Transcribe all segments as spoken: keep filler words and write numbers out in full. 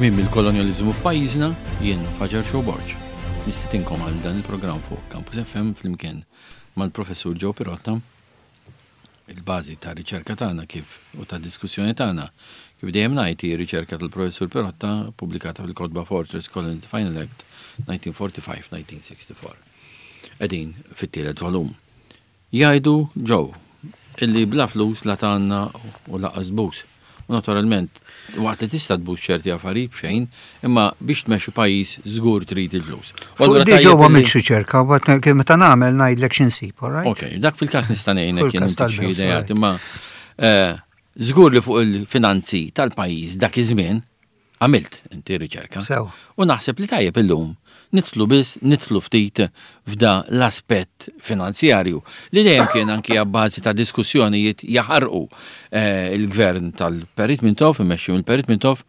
Tmiem il-kolonjaliżmu f'pajjiżna, jien Faġar Borg. Nistedinkom għal dan il-programm fuq Campus F M flimkien mal-professur Joe Pirotta. Il-bażi ta' riċerka tagħna kif u ta' diskussjoni tagħna, kif dejjem ngħid, hi riċerka tal-professur Pirotta pubblikata fil-kotba Fortress Colony Final Act elf disa' mija u erbgħa u erbgħin-elf disa' mija u sitta u erbgħin. Qegħdin fit-tielet volum. Jgħidu, Joe, illi bla flus la tgħanni u lanqas tbus. U naturalment, waqt li tista' tbus ċerti affarijiet b'xejn, imma biex tmexxi pajjiż żgur trid il-flus. U allura Di ġew għamilt riċerka, but meta nagħmel ngħidlek x'insib, all right? Ok, dak fil-każ nista' ngħinek jien intik xi ideat, imma eh, żgur li fuq il-finanzi tal-pajjiż dak iż-żmien għamilt inti riċerka. Sew. U naħseb li tajjeb illum nidħlu biss nidħlu ftit f'da l-aspett finanzjarju li dejjem kien anki abbażi ta' diskussjonijiet jaħarqu. eh, il-gvern tal-Perit Mintoff, immexxi mill-Perit Mintoff,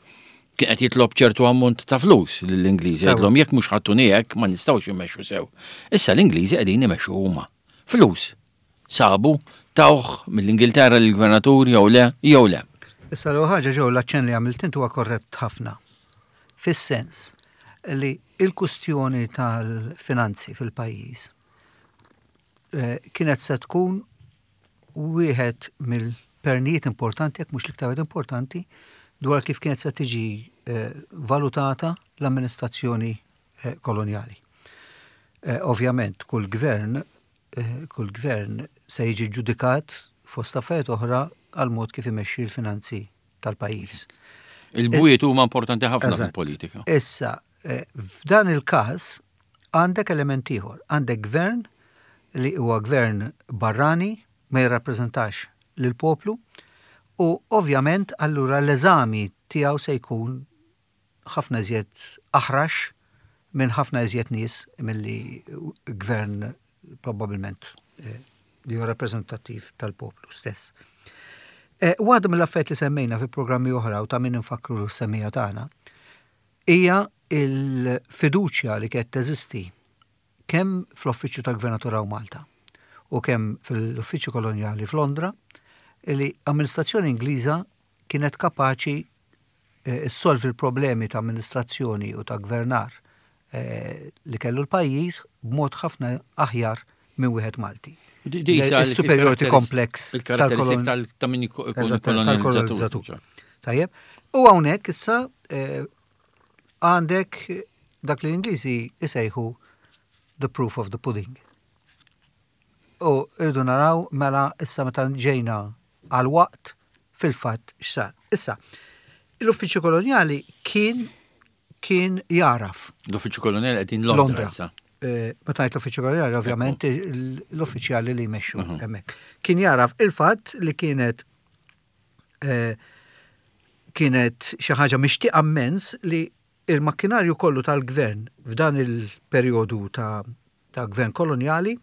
kien qed jitlob ċertu ammont ta' flus lill-Ingliżi, jgħidlhom jekk mhux ħa ttuni hekk ma nistgħux immexxu sew. Issa l-Ingliżi qegħdin imexxu huma. Flus. Sabu tawh mill-Ingilterra lill-gvernatur jew le, jew le. Issa l ħaġa ġew, l-aċċenn li għamilt inti huwa korrett ħafna. Fis-sens li il-kustjoni tal-finanzi fil-pajjiż eh, kienet se tkun wieħed mill-pernijiet importanti, jekk mhux l-iktar importanti, dwar kif kienet se tiġi eh, valutata l-amministrazzjoni eh, koloniali. Ovvjament, kull gvern, kull gvern se jiġi ġudikat fost affarijiet oħra għal mod kif imexxi l-finanzi tal-pajjiż. Il-bwiet huma importanti ħafna fil-politika. Issa, eh, f'dan il-każ għandek element ieħor, għandek gvern li huwa gvern barrani, ma jirrappreżentax lill-poplu u ovvjament allura l-eżami tiegħu se jkun ħafna iżjed aħrax minn ħafna iżjed nies milli gvern probabbilment eh, li huwa rappreżentattiv tal-poplu stess. Eh, waħda mill-affarijiet li semmejna fi programmi oħra u ta' min infakru s-semmija tagħna hija il-fiduċja li kienet teżisti kemm fl-Uffiċċju tal-Gvernatur Malta u kemm fil-Uffiċċju Kolonjali f'Londra li amministrazzjoni Ingliża kienet kapaċi eh, ssolvi l-problemi ta' amministrazzjoni u ta' gvernar eh, li kellu l-pajjiż b'mod ħafna aħjar minn wieħed Malti. Il-superiority complex. Il-karatteristik ta' min kolonizzatur. Tajjeb. U hawnhekk issa eh, għandek dak li l-Ingliżi isejħu the proof of the pudding. U irdu naraw mela issa meta ġejna għal waqt fil-fatt x'sar. Issa, l-uffiċċju koloniali kien kien jaraf. L-uffiċċju koloniali qegħdin Londra. Londra. Eh, meta ngħid l-uffiċċju koloniali, ovvjament l-uffiċjali li jmexxu mhm. hemmhekk. Kien jaraf il-fatt li kienet eh, kienet xi ħaġa mixtieqa immens li il-makkinarju kollu tal-gvern f'dan il-perjodu ta', ta' gvern koloniali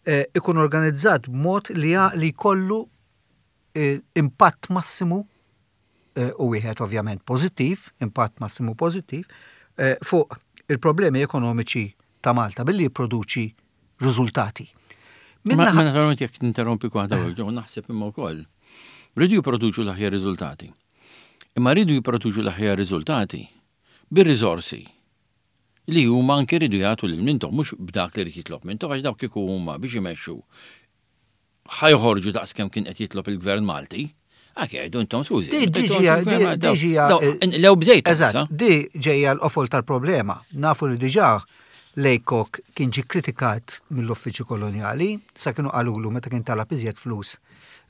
eh, ikun organizzat b'mod li li jkollu impatt massimu u wieħed ovvjament pożittiv, impatt massimu pożittiv fuq il-problemi ekonomiċi ta' Malta billi jipproduċi riżultati. Ma naturalment, jekk ninterrompi waħda, naħseb imma wkoll. Rridu jipproduċu l-aħjar riżultati. Imma rridu jipproduċu l-aħjar riżultati bir-riżorsi li huma anke rridu jagħtu lil Mintoff, mhux b'dak li rid jitlob Mintoff, għax dawk kieku huma biex imexxu ħa joħorġu daqs kemm kien qed jitlob il-gvern Malti. Għak jgħidu intom, skużi. Lew bżejt. Eżatt, di ġejja l-qofol tal-problema. Nafu li diġà Laycock kien ġi kritikat mill-uffiċċju koloniali, sa kienu qalulu meta kien talab iżjed flus,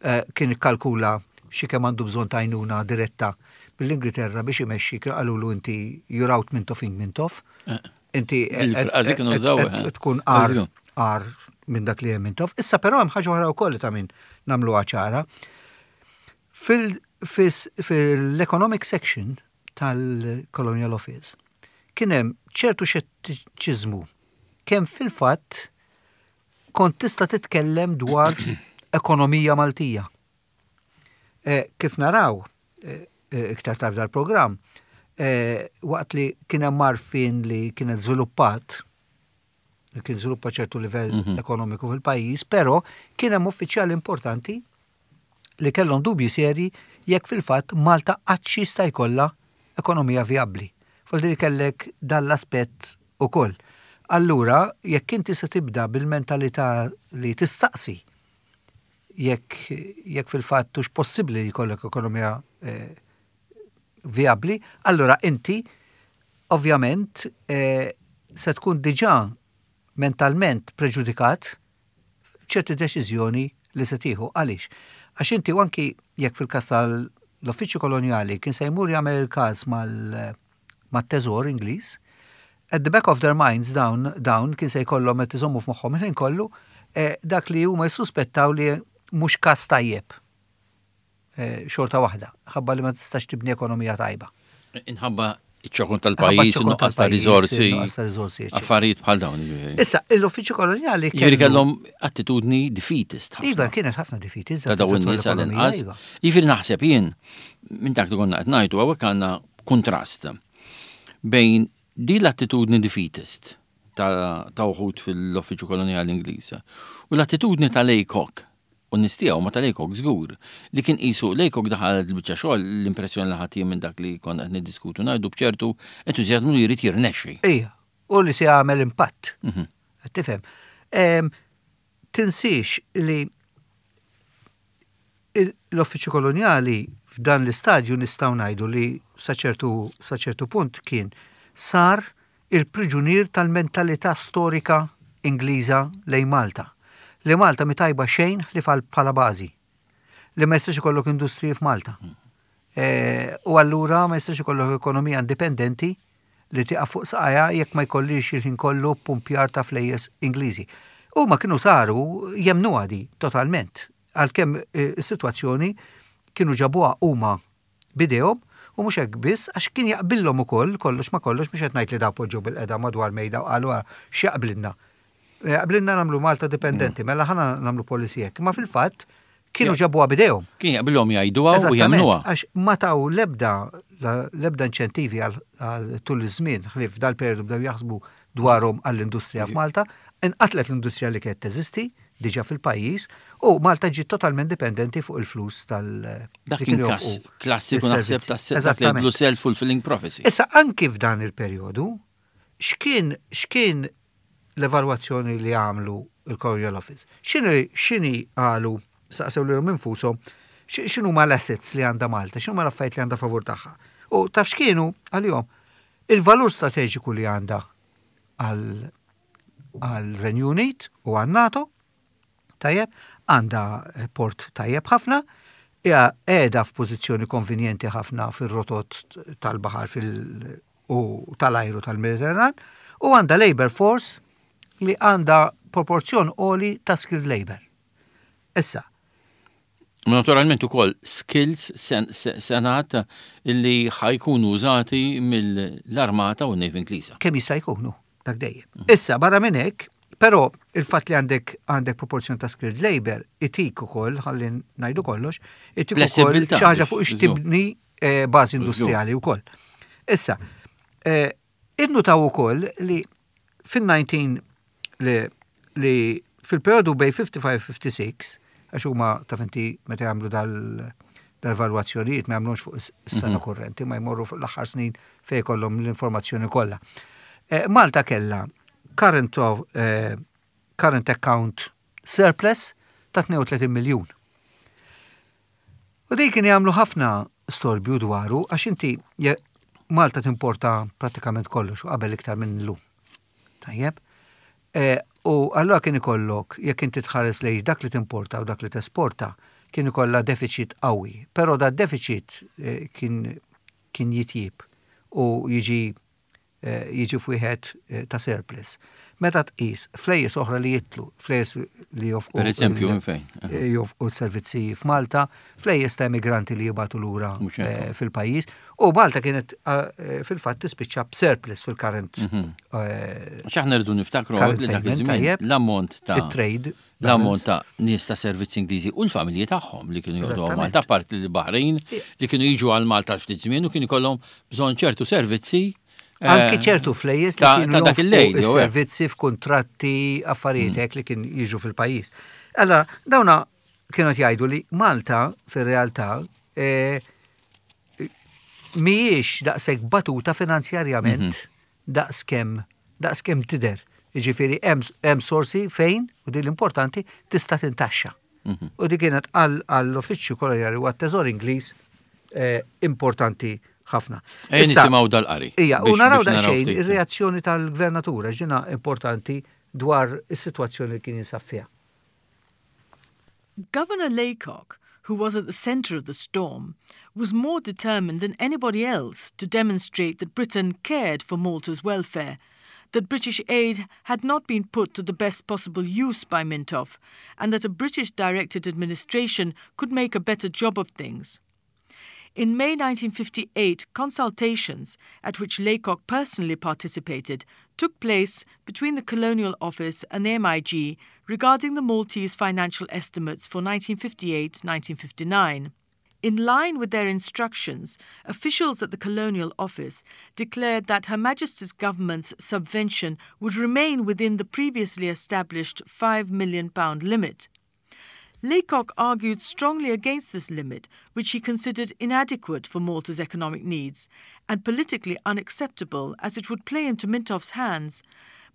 eh, kien ikkalkula xi kemm għandu bżonn ta' għajnuna diretta mill-Ingilterra biex imexxi, kienu qalulu inti you're out Mintoffing Mintoff. Eh. Inti tkun għar għar minn dak li hemm Mintoff. Issa però hemm ħaġa oħra wkoll ta' min nagħmluha ċara. Fil-economic section tal-Colonial Office kien hemm ċertu xettiċiżmu kemm fil-fatt kont tista' titkellem dwar ekonomija Maltija. Eh, kif naraw eh, eh, iktar tard dal-programm, waqt li kien hemm marfin li kienet żviluppat, li kien żviluppa ċertu livell mhm. ekonomiku fil-pajjiż, però kien hemm uffiċjali importanti li kellhom dubji seri jekk fil-fatt Malta qatt jista' jkollha ekonomija vijabbli. Vuoldiri kellek dal-aspett ukoll. Allura, jekk inti se tibda bil-mentalità li tistaqsi jekk jekk fil-fatt hux possibbli li jkollok ekonomija eh, vijabbli, allura inti ovvjament eh, se tkun diġà mentalment preġudikat ċerti deċiżjoni li se tieħu. Għaliex? Għax inti anki jekk fil-każ tal-Uffiċċju Kolonjali kien se jmur jagħmel il-każ mal- mat-teżor Ingliż, at the back of their minds dawn dawn kien se jkollhom qed iżommu f'moħħhom il-ħin kollu eh, dak li huma jissuspettaw li mhux każ tajjeb eh, xorta waħda, ħabba li ma tistax tibni ekonomija tajba. Inħabba iċ-ċokon tal-pajjiż, ċokon nuqqas ta' tal-pajjiż, riżorsi, nuqqas ta' riżorsi, eċċetera. Affarijiet bħal dawn. Jiġifieri. Issa, l-Uffiċċju Kolonjali Jiġifieri kellhom attitudni defeatist ħafna. Iva, kienet ħafna defeatist. Ta' dawn in-nies għal-inqas. Jiġifieri naħseb jien minn dak li konna qed ngħidu, hawnhekk għandna kontrast bejn di l-attitudni defeatist ta' ta' uħud fil-Uffiċċju Kolonjali Ingliż u l-attitudni ta' Laycock u nistiegħu ma ta' Laycock żgur li kien qisu Laycock daħal il-biċċa xogħol, l-impressjoni li ħadd minn dak li konna qed niddiskutu ngħidu, b'ċertu entużjażmu li jrid jirnexxi. Ija, u li se jagħmel impatt. Mhm. Qed tifhem. Em, Tinsiex li il- l-Uffiċċju Kolonjali f'dan l-istadju nistgħu ngħidu li sa ċertu sa ċertu punt kien sar il-priġunier tal-mentalità storika Ingliża lejn Malta. Li Malta mi tajba xejn li fal bħala bażi. Li ma jistax ikollok industriji f'Malta. E, u allura ma jistax ikollok ekonomija indipendenti li tieqaf fuq saqajha jekk ma jkollix il-ħin kollu pumpjar ta' flejjes Ingliżi. U ma kienu saru jemnu għadi totalment, għalkemm eh, is-sitwazzjoni kienu ġabuha huma b'idejhom, u mhux hekk biss, għax kien jaqbillhom ukoll kollox ma kollox. Mhux qed ngħid li da poġġew bilqiegħda madwar mejda u qalu, "Ah, x'jaqblilna? Jaqblilna nagħmlu Malta dipendenti, mela ħana nagħmlu policy hekk." Ma fil-fatt kienu ġabuha b'idejhom. Kien jaqbilhom jgħiduha u Eżattament, jagħmluha. għax ma taw lebda lebda inċentivi għal għal tul iż-żmien, ħlief dal-periodu bdew jaħsbu dwarhom għall-industrija f'Malta, inqatlet l-industrija li kienet teżisti diġà fil-pajjiż u Malta ġiet totalment dipendenti fuq il-flus tal- Dak li kien kienu każ joffqu klassiku naħseb is-servizzi. ta' dak li Eżattament. jgħidlu self-fulfilling prophecy. Issa, anki f'dan il-perjodu, x'kien x'kien l-evalwazzjoni li għamlu il-Colonial Office? X'inhi x'inhi qalu, saqsew lilhom infushom, x'inhu ma l-assets li għandha Malta, x'inhu ma l-affarijiet li għandha favur tagħha? U taf x'kienu għalihom? Il-valur strateġiku li għandha għal għal Renju Unit u għal NATO, tajjeb, għandha port tajjeb ħafna, hija qiegħda f'pożizzjoni konvenjenti ħafna fir-rotot tal-baħar fil- u tal-ajru tal-Mediterran u għandha labor force li għandha proporzjon għoli ta' skilled labor. Issa, Ma naturalment ukoll skills sen- se- senat illi ħa jkunu użati mill-armata u n-Navy Ingliża. Kemm jista' jkunu, dak dejjem. Issa, barra minn hekk, però il-fatt li għandek għandek proporzjon ta' skilled labor itik ukoll, ħalli ngħidu kollox, itik ukoll Flessibilità xi ħaġa biex fuq żgur. x'tibni eh, bażi industrijali wkoll. Issa, eh, innutaw ukoll li fin-nineteen li, li fil-periodu bejn ħamsa u ħamsin u ħamsa u sittin, għax huma taf inti meta jagħmlu dal dal-valwazzjonijiet ma jagħmlux fuq is-sena kurrenti, ma jmorru fuq l-aħħar snin fejn jkollhom l-informazzjoni kollha. Eh, Malta kella current, of, eh, current account surplus ta' tnejn u tletin miljun. U dik kien jagħmlu ħafna storbju dwaru, għax inti je- Malta timporta pratikament kollox u qabel iktar minn llum. Tajjeb. E, u allura kien ikollok, jekk inti tħares lejn dak li timporta u dak li tesporta, kien ikollha deficit qawwi. Però da deficit eh, kien kien jitjib u jiġi eh, jiġi f'wieħed eh, ta' surplus. Meta tqis flejjes oħra li jitlu, flejjes li jofqu Per eżempju, il- minn fejn? eh, jofqu servizzi f'Malta, flejjes ta' immigranti li jibagħtu lura Mhux hekk. eh, fil-pajjiż. U Malta kienet eh, fil-fatt tispiċċa b'surplus fil-current Mhm. eh, X'aħna rridu niftakru current li dak payment, iż-żmien tajjeb. l-ammont ta' it-trade l-ammont ta' nies ta' servizzi Ingliżi u l-familji tagħhom li kienu joqogħdu għal Eżattament. Malta, part li Baħrejn li kienu jiġu għal Malta ftit żmien u kienu jkollhom bżonn ċertu servizzi eh, Anki ċertu flejjes li ta' kienu ta' dak jonfqu il-lejl, jew hekk. is-servizzi f'kuntratti, affarijiet hekk li kien jiġu fil-pajjiż. Allora, dawna kienu jgħidu li Malta fir-realtà eh, mhijiex daqshekk batuta finanzjarjament daqskemm daqskemm tidher. Jiġifieri hemm sorsi fejn, u din l-importanti, tista' tintaxxa. U di kienet għall-Uffiċċju Kolonjali u għat-Teżor Ingliż eh, importanti ħafna. Ejja nisimgħu dal-qari. Ija, u naraw daqsxejn ir-reazzjoni tal-gvernatura ġina importanti dwar is-sitwazzjoni li kien jinsab fiha. Governor Laycock, who was at the centre of the storm, was more determined than anybody else to demonstrate that Britain cared for Malta's welfare, that British aid had not been put to the best possible use by Mintoff, and that a British-directed administration could make a better job of things. In May nineteen fifty-eight, consultations, at which Laycock personally participated, took place between the Colonial Office and the M I G regarding the Maltese financial estimates for nineteen fifty-eight nineteen fifty-nine. In line with their instructions, officials at the Colonial Office declared that Her Majesty's government's subvention would remain within the previously established five million pounds limit. Laycock argued strongly against this limit, which he considered inadequate for Malta's economic needs and politically unacceptable as it would play into Mintoff's hands.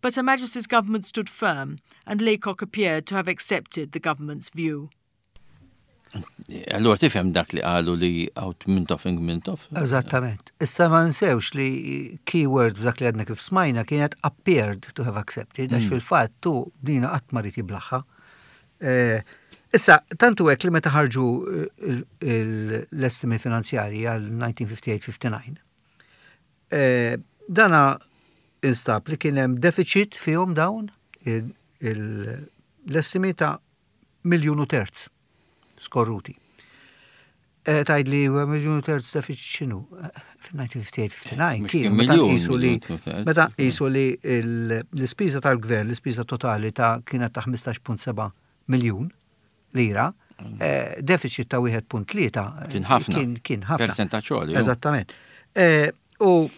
But Her Majesty's government stood firm, and Laycock appeared to have accepted the government's view. Allora tifhem dak li qalu li out Mintoffing Mintoff? Eżattament. Issa ma nsewx li keyword f'dak li għadna kif smajna kienet "appeared to have accepted", għax fil-fatt tu dina qatt ma ried jiblagħha. Eh, Issa, tantu hekk li meta ħarġu l-estimi finanzjarji għal elf disa' mija u ħamsa u ħamsin ħamsa u disgħin, eh, dana instab li kien hemm deficit fihom dawn l-estimi ta' miljun u terz skorruti. Eh, Tgħid li miljun u terz deficit x'inhu? Eh, fil-elf disa' mija u ħamsa u ħamsin ħamsa u disgħin kien meta qisu li meta qisu li l-ispiża tal-gvern, l-ispiża totali ta' kienet ta' ħmistax punt seba' miljun lira, eh, deficit ta' wieħed punt tlieta Kien ħafna. Kien ħafna. Percentaġġ. Eżattament. U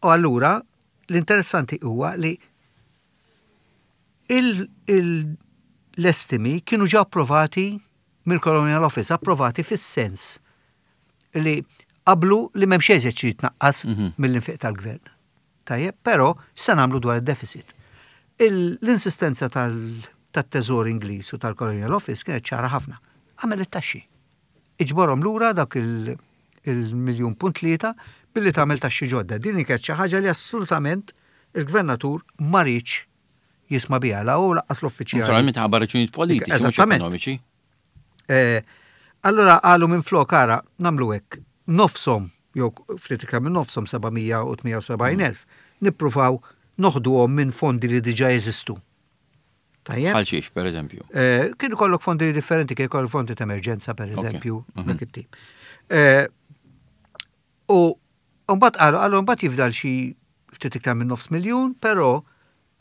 u allura l-interessanti huwa li l-estimi kienu ġa approvati mill-Colonial Office, approvati fis-sens li qablu li m'hemmx eżiet xi jitnaqqas mhm. mill-infiq tal-gvern. Tajjeb, però se nagħmlu dwar id-deficit? L-insistenza tal-Teżor Ingliż u tal-Colonial Office kienet ċara ħafna. Għamel it-taxxi. Iġborhom lura dak il-miljun punt tlieta billi tagħmel taxxi ġodda. Din kienet xi ħaġa li assolutament il-gvernatur ma riedx jisma' biha la u lanqas l-uffiċjali. Naturalment ħabba raġunijiet politiċi, mhux ekonomiċi. Eh, allora qalu minn flok ara nagħmlu hekk, nofshom jew ftit iktar minn nofshom, seba' mija u tmienja u sebgħin elf, nippruvaw noħduhom minn fondi li diġà jeżistu. Tajjeb? Bħal xiex, per eżempju? Eh, kien ikollok fondi differenti, kien ikollok fondi ta' emerġenza, per eżempju, mhm. dak it-tip. Eh, u mbagħad qalu, qalu mbagħad jifdal xi ftit iktar minn nofs miljun, però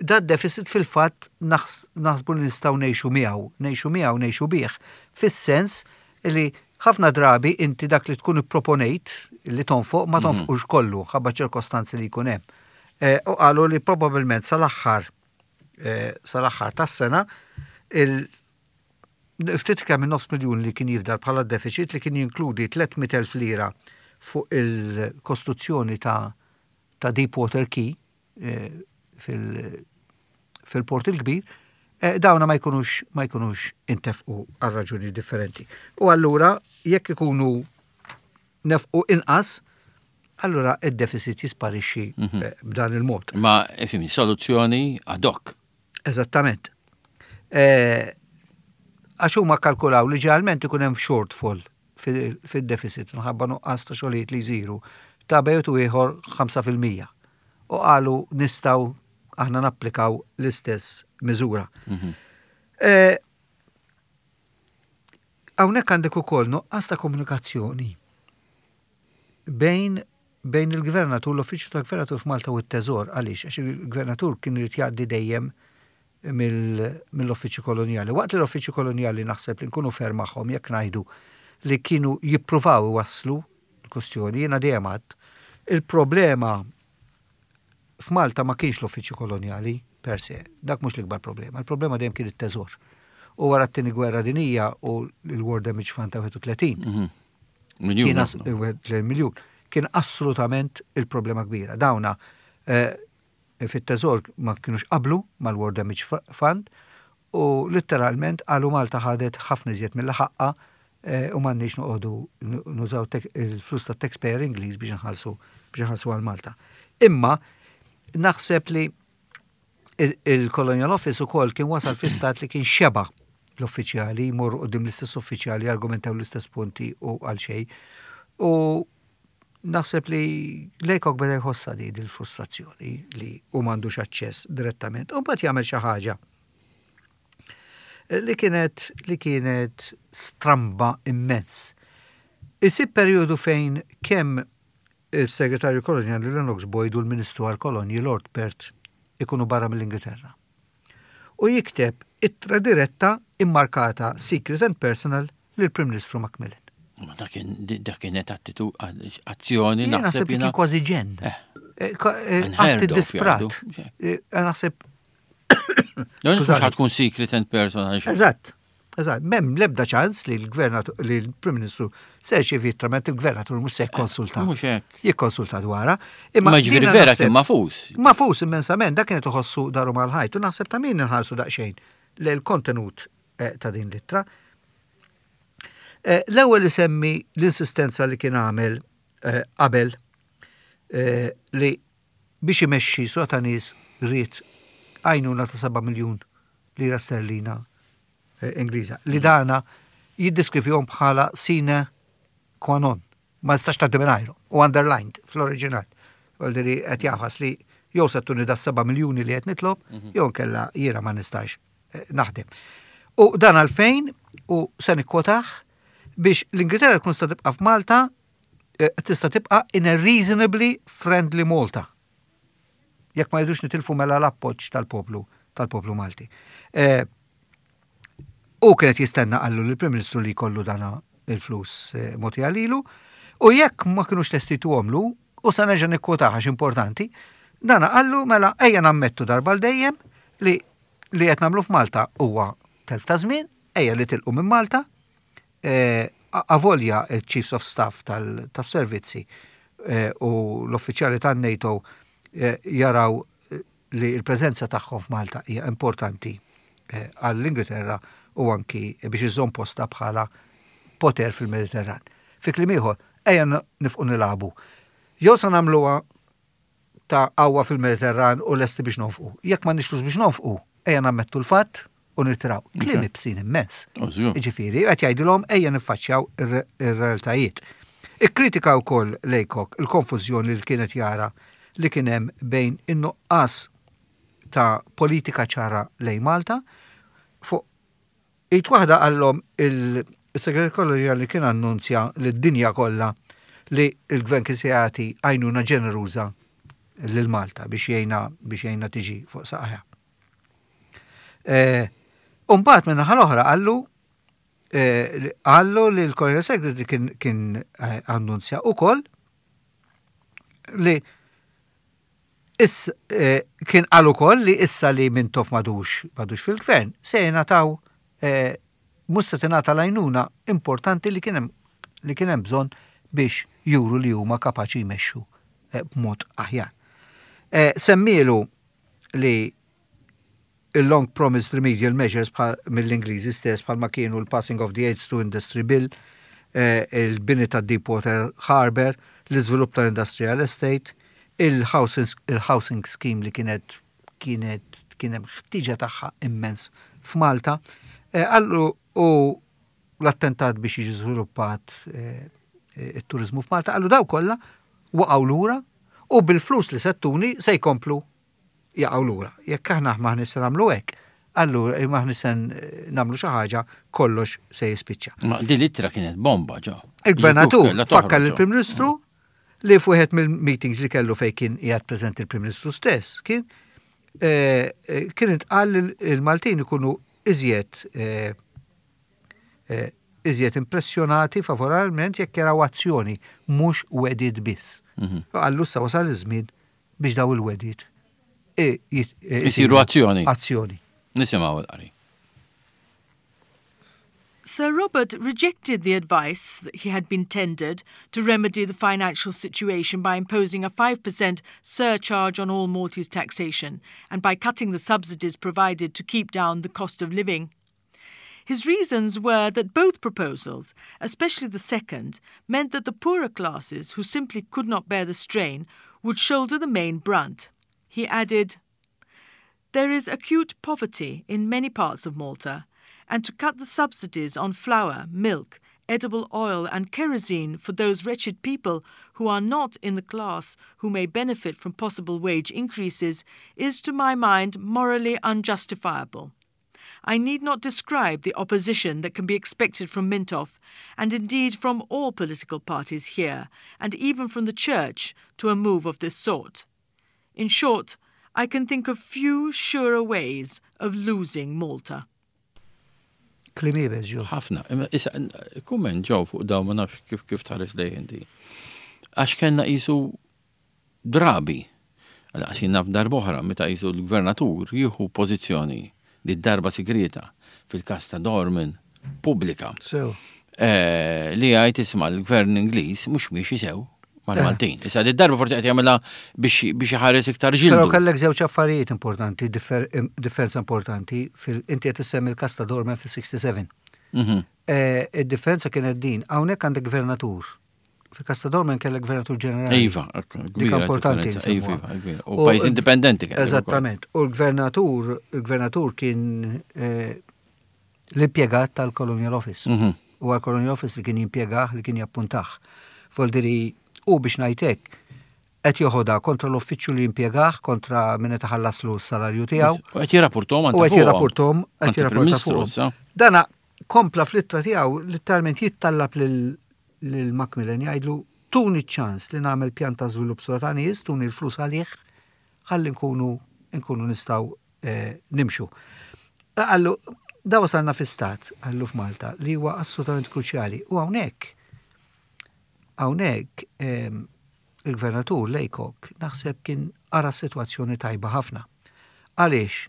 da deficit fil-fatt naħsbu li nistgħu ngħixu miegħu, ngħixu miegħu, ngħixu bih. Fis-sens li ħafna drabi inti dak li tkun ipproponejt li tonfoq ma mhm. tonfoqux kollu ħabba ċirkostanzi li jkun hemm. Eh, u qalu li probabbilment sal-aħħar eh, sal-aħħar tas-sena il ftit kemm minn nofs miljun li kien jifdal bħala deficit, li kien jinkludi tliet mitt elf lira fuq il-kostruzzjoni ta' ta' Deep Water Quay eh, fil-Port il-Kbir, eh, dawna ma jkunux ma jkunux intefqu għal raġuni differenti. U allura jekk ikunu nefqu inqas, allura id-deficit jisparixxi mhm. eh, b'dan il-mod. Ma ifhimni, soluzzjoni ad hoc. Eżattament. Għax huma kalkulaw li ġeneralment ikun hemm shortfall fil-deficit minħabba nuqqas ta' xogħlijiet li jsiru ta' bejn u ieħor ħamsa fil-mija. U qalu nistgħu aħna napplikaw l-istess miżura. Mhm. Eh, hawnhekk għandek ukoll nuqqas ta' komunikazzjoni bejn bejn il-gvernatur, l-uffiċċju tal-gvernatur f'Malta u t-Teżor. Għaliex? Għax il-gvernatur kien irid jgħaddi dejjem mill-uffiċċju kolonjali. Waqt li l-uffiċċju kolonjali, naħseb li nkunu fair magħhom jekk ngħidu li kienu jippruvaw iwasslu l-kustjoni, jiena dejjem għedt, il-problema f'Malta ma kienx l-uffiċċju kolonjali per se, dak mhux l-ikbar problema, il-problema dejjem kien it-teżor. U wara t-tieni gwerra dinija u l-War Damage Fund ta' wieħed u tletin, mhm. Kien miljun. Kien assolutament il-problema kbira. Dawna eh, fit-teżor ma kienux qablu mal-War Damage Fund u literalment qalu Malta ħadet ħafna iżjed milli ħaqqha eh, u m'għandniex noqogħdu nużaw il-flus ta' taxpayer Ingliż biex nħallsu biex nħallsu għal Malta. Imma naħseb li il-Colonial Office ukoll kien wasal fi stat li kien xeba l-uffiċjali, jmur quddiem l-istess uffiċjali, argumentaw l-istess punti u għal xejn. U naħseb li Laycock beda jħossa di dil-frustrazzjoni li u m'għandux aċċess direttament. U mbagħad jagħmel xi ħaġa li kienet li kienet stramba immens. Isib periodu fejn kemm il-segretarju kolonjali Lennox Boyd u l-Ministru għal-Kolonji Lord Perth ikunu barra mill-Ingilterra. U jikteb ittra diretta immarkata Secret and Personal lill-Prim Ministru Macmillan. Ma dak kienet attitu azzjoni naħseb kien kważi ġenn. Eh. Eh, eh, atti disprat. Naħseb. Mhux tkun secret and personal. Eżatt. Eżatt, m'hemm lebda ċans li l-gvernatur, li l-Prim Ministru se jirċievi ittra il-gvernatur mhux se jikkonsulta. Mhux hekk. Jikkonsulta dwarha. Imma ġifieri vera kien magħfus. Magħfus immensament, dak kienet iħossu daru mal-ħajt u naħseb ta' min nħarsu daqsxejn l-kontenut ta' din l-ittra. L-ewwel isemmi l-insistenza li kien għamel qabel li biex imexxi sota ta' nies ried għajnuna ta' seba' miljun lira sterlina Ingliża li dana jiddeskrivihom bħala sine qua non. Ma nistax tgħaddi mingħajru u underlined fl-oriġinal. Għaldi qed jafas li jew se ttuni da seba' miljuni li qed nitlob, mhm. jew kella jiena ma nistax naħdem. U dan għalfejn u se nikkwotah biex l-Ingilterra tkun sta tibqa' f'Malta eh, tista' tibqa' in a reasonably friendly Malta. Jekk ma jridux nitilfu mela l-appoġġ tal-poplu tal-poplu Malti. Eh, u kienet jistenna qallu l-Prim Ministru li jkollu dana il-flus eh, moti għalilu, u jekk ma kienux lesti jtuhomlu, u sa nerġa' nikkwotah għax importanti, dana qallu mela ejja nammettu darba l dejjem li li qed nagħmlu f'Malta huwa telf ta' żmien, ejja li tilqu minn Malta, eh, avolja il-Chiefs of Staff tal-servizzi eh, u l-uffiċjali tan-NATO eh, jaraw li l-preżenza tagħhom f'Malta hija importanti għall-Ingilterra u anki biex iżżomm posta bħala poter fil-Mediterran. Fi kliem ieħor, ejja nifqu nilagħbu. Jew sa nagħmluha ta' qawwa fil-Mediterran u lesti biex nonfqu. Jekk ma flus biex nonfqu, ejja nammettu l-fatt u nirtiraw. Kliem ibsin immens. Ġifieri, qed jgħidilhom ejja niffaċċjaw ir-realtajiet. Ikkritika wkoll Laycock il-konfużjoni li kienet jara li kien hemm bejn in-nuqqas ta' politika ċara lejn Malta fuq id waħda qallhom il-segretarju koloniali kien annunzja li d-dinja kollha li il-gvern kien se jagħti għajnuna ġeneruża lil Malta biex jgħinha biex jgħinha tiġi fuq saqajha. Umbagħad minn naħa l-oħra qallu qallu li l-Colonial Secretary kien, kien annunzja ukoll li is, kien qal ukoll li issa li Mintoff m'għadux m'għadux fil-gvern se jingħataw mhux se tingħata l-għajnuna importanti li kien hemm li kien hemm bżonn biex juru li huma kapaċi jmexxu b'mod aħjar. Semmielu li il-long promised remedial measures mill-Ingliżi stess bħalma kienu l-passing of the Aids to Industry Bill, il-bini ta' Deepwater Harbour, l-iżvilupp tal-Industrial Estate, il-housing scheme li kienet kienet kien hemm ħtiġa tagħha immens f'Malta. Qallu u l-attentat biex jiġi żviluppat it-turizmu f'Malta, qallu daw kollha waqgħu lura u bil-flus li se ttuni se jkomplu jaqgħu lura. Jekk aħna m'aħniex se nagħmlu hekk, allura m'aħniex se nagħmlu xi ħaġa, kollox se jispiċċa. Ma din l-ittra kienet bomba ġo. Il-gvernatur fakkar lill-Prim Ministru li f'wieħed mill-meetings li kellu fejn kien qiegħed preżenti il-Prim Ministru stess, kien kien intqal il-Maltin ikunu iżjed iżjed impressjonati favorevolment jekk jaraw azzjoni mhux wegħdiet biss. Qallu issa wasal iż-żmien biex daw il-wegħdiet Isiru azzjoni. Azzjoni. Nisimgħu l-qari. Sir Robert rejected the advice that he had been tendered to remedy the financial situation by imposing a five percent surcharge on all Maltese taxation and by cutting the subsidies provided to keep down the cost of living. His reasons were that both proposals, especially the second, meant that the poorer classes, who simply could not bear the strain, would shoulder the main brunt. He added, "There is acute poverty in many parts of Malta, and to cut the subsidies on flour, milk, edible oil, and kerosene for those wretched people who are not in the class who may benefit from possible wage increases is, to my mind, morally unjustifiable. I need not describe the opposition that can be expected from Mintoff, and indeed from all political parties here, and even from the Church, to a move of this sort. In short, I can think of few surer ways of losing Malta." Kliem iebes, ġo. Ħafna. Imma issa, kumment, Joe, fuq daw, ma nafx kif kif tħares lejh inti. Għax kellna qisu drabi. Għal naf darb'oħra meta qisu l-gvernatur jieħu pożizzjoni di darba sigrieta, fil-kas ta' Dorman pubblika. Sew. Eh, li għajt isma' l-gvern Ingliż mhux miexi sew mal-Maltin. Issa di darba forsi qed jagħmilha biex biex iħares iktar Però ġildu. kellek żewġ affarijiet importanti, differ- differenza importanti, fil inti qed issemmi il-kas ta' Dorman fis-sitta u sebgħin. Mhm. Eh, Id-differenza kienet din, hawnhekk għandek gvernatur. Fil-kas ta' Dorman kellek gvernatur ġenerali. Iva, Dik kbira importanti differenza. Iva, nsemmuha. iva, kbira. U pajjiż indipendenti kellu ukoll. Eżattament. U l-gvernatur, il-gvernatur kien eh, l-impjegat tal-Colonial Office. Mhm. U għal-Colonial Office li kien jimpjegah, li kien jappuntah. Voldiri, u biex ngħidlek, qed joħodha kontra l-uffiċċju li jimpjegah, kontra min qed iħallaslu s-salarju tiegħu. U qed jirrapportom U qed jirrapportom, qed jirrapporta Ministru fuqhom. issa. Dana kompla fl-ittra tiegħu literalment jittallab lil lil Macmillan, jgħidlu: "Tuni ċans li nagħmel pjan ta' żvilupp sultanis, tuni l-flus għalih, ħalli nkunu nkunu nistgħu eh, nimxu." Qallu, da wasalna fi stat, qallu, f'Malta, li huwa assolutament kruċjali. U hawnhekk, hawnhekk em, il-gvernatur Laycock naħseb kien ara situazzjoni tajba ħafna. Għaliex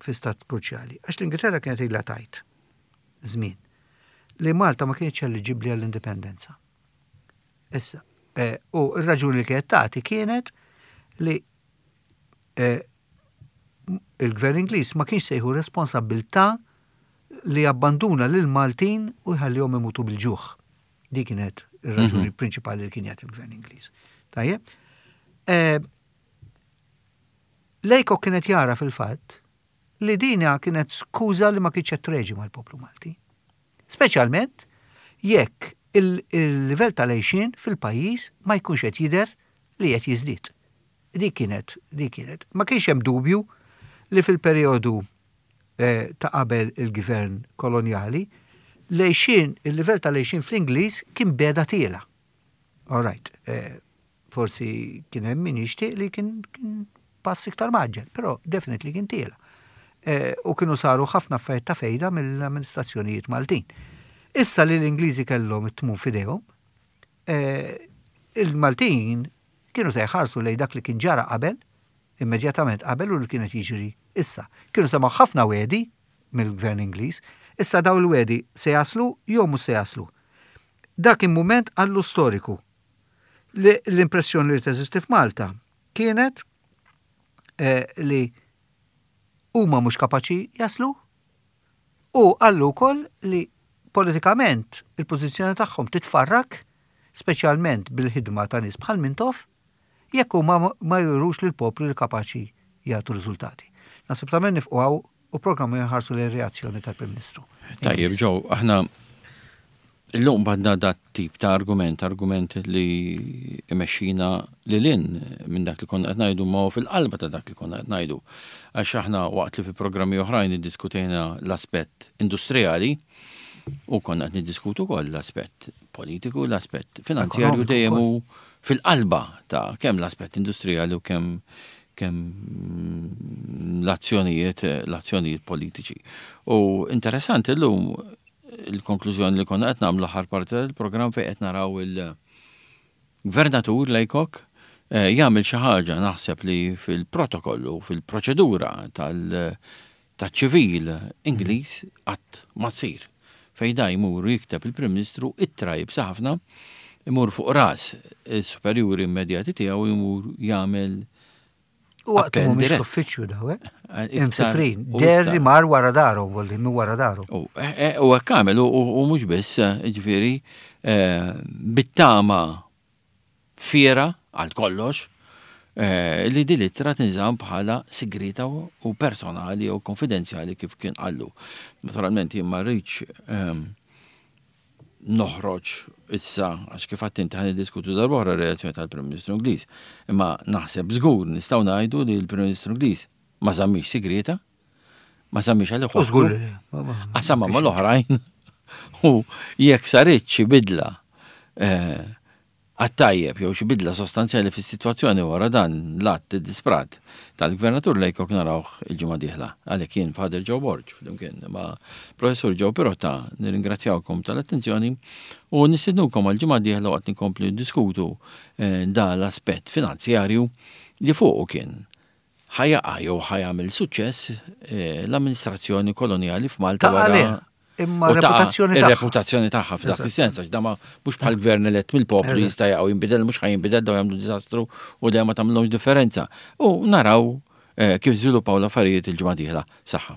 fi stat kruċjali? Għax l-Ingilterra kienet ilha tgħid żmien li Malta ma kienx eliġibbli għall-indipendenza. Issa, eh, u r-raġuni li kienet tagħti kienet li eh, il-gvern Ingliż ma kienx se jieħu responsabbiltà li abbanduna lil Maltin u jħallihom imutu bil-ġuħ. Di kienet ir-raġuni prinċipali li kien jagħti il-gvern Ingliż. Tajjeb? Eh, Laycock kienet jara fil-fatt li dina kienet skuża li ma kienx qed treġi mal-poplu Malti. Speċjalment jekk il- il-livell tal-għajxien fil-pajjiż ma jkunx qed jidher li qed jiżdied. Di kienet, di kienet. Ma kienx hemm dubju li fil-perjodu eh, ta' qabel il-gvern kolonjali, l-għajxien, il-livell tal-għajxien fl-Ingliż kien beda tiela'. All right, eh, forsi kien hemm min jixtieq li kien, kien pass iktar mgħaġġel, però definitely kien tiela'. Eh, u kienu saru ħafna affarijiet ta' fejda mill-amministrazzjonijiet Maltin. Issa li l-Ingliżi kellhom it-tmun f'idejhom, eh, il-Maltin kienu se jħarsu lejn dak li kien ġara qabel, immedjatament qabel, u li kienet jiġri issa. Kienu semgħu ħafna wegħdi mill-gvern Ingliż, issa daw il-wegħdi se jaslu jew mhux se jaslu. Dak kien moment għallu storiku. Li l-impressjoni li teżisti f'Malta kienet eh, li huma mhux kapaċi jaslu u qallu wkoll li politikament il-pożizzjoni tagħhom titfarrak, speċjalment bil-ħidma ta' nies bħal Mintoff, jekk huma ma jurux lil poplu li kapaċi jagħtu riżultati. Naħseb ta' nifqu hawn u programmu jħarsu l reazzjoni tal-Prim Ministru. Tajjeb, Joe, aħna illum badna dat tip ta' argument, argument li imexxina li lin minn dak li konna qed ngħidu, ma fil-qalba ta' dak li konna qed ngħidu. Għax aħna waqt li fi programmi oħrajn iddiskutejna l-aspett industrijali u konna qed niddiskutu wkoll l-aspett politiku, l-aspett finanzjarju Ekonomiku dejjem wkoll. hu fil-qalba ta' kemm l-aspett industrijali u kemm kemm l-azzjonijiet l-azzjonijiet politiċi. U interessanti llum il-konklużjoni li konna qed nagħmlu l-aħħar parti tal-programm fejn qed naraw il-gvernatur Laycock eh, jagħmel xi ħaġa naħseb li fil-protokollu, fil-proċedura tal- taċ-ċivil Ingliż qatt ma tsir. Fejn da jmur jikteb il-Prim Ministru ittra iebsa ħafna, imur fuq ras il-superjuri immedjati tiegħu, jmur jagħmel U waqt mhumiex l-uffiċċju daw, eh? Imsifrin, der li mar wara daru, volli mi wara daru. U eh, eh, hekk għamel, u mhux biss, ġifieri, bit-tama fiera għal kollox li din l-ittra tinżamm bħala sigrita u personali u konfidenzjali kif kien qallu. Naturalment jien ma rridx ehm, noħroġ issa, għax kif għedt inti, ħa niddiskutu darb'oħra reazzjoni tal-Prim Ministru Ingliż. Imma naħseb żgur nistgħu ngħidu li l-Prim Ministru Ingliż ma żammix sigrita, ma żammix għal Żgur. Qasama mal-oħrajn. U jekk saret xi bidla eh, għat-tajjeb jew xi bidla sostanzjali fis-sitwazzjoni wara dan l-att disprat tal-Gvernatur Laycock, narawh il-ġimgħa dieħla. Għalhekk jien, Father Joe Borg, flimkien ma' Professur Joe Pirotta, nirringrazzjawkom tal-attenzjoni u nistednukom għal-ġimgħa dieħla waqt nkomplu diskutu eh, da l-aspett finanzjarju li fuqu kien ħa jaqa' jew ħa jagħmel suċċess eh, l-amministrazzjoni koloniali f'Malta wara Imma reputazzjoni tagħha. Ir-reputazzjoni tagħha f'dak is-sens, għax da ma mhux bħal gvern elett mill-poplu jista' jaqgħu jinbidel, mhux ħa jinbidel, daw jagħmlu diżastru u dejjem ma tagħmilhomx differenza. U naraw eh, kif żviluppaw l-affarijiet il-ġimgħa dieħla. Saħħa.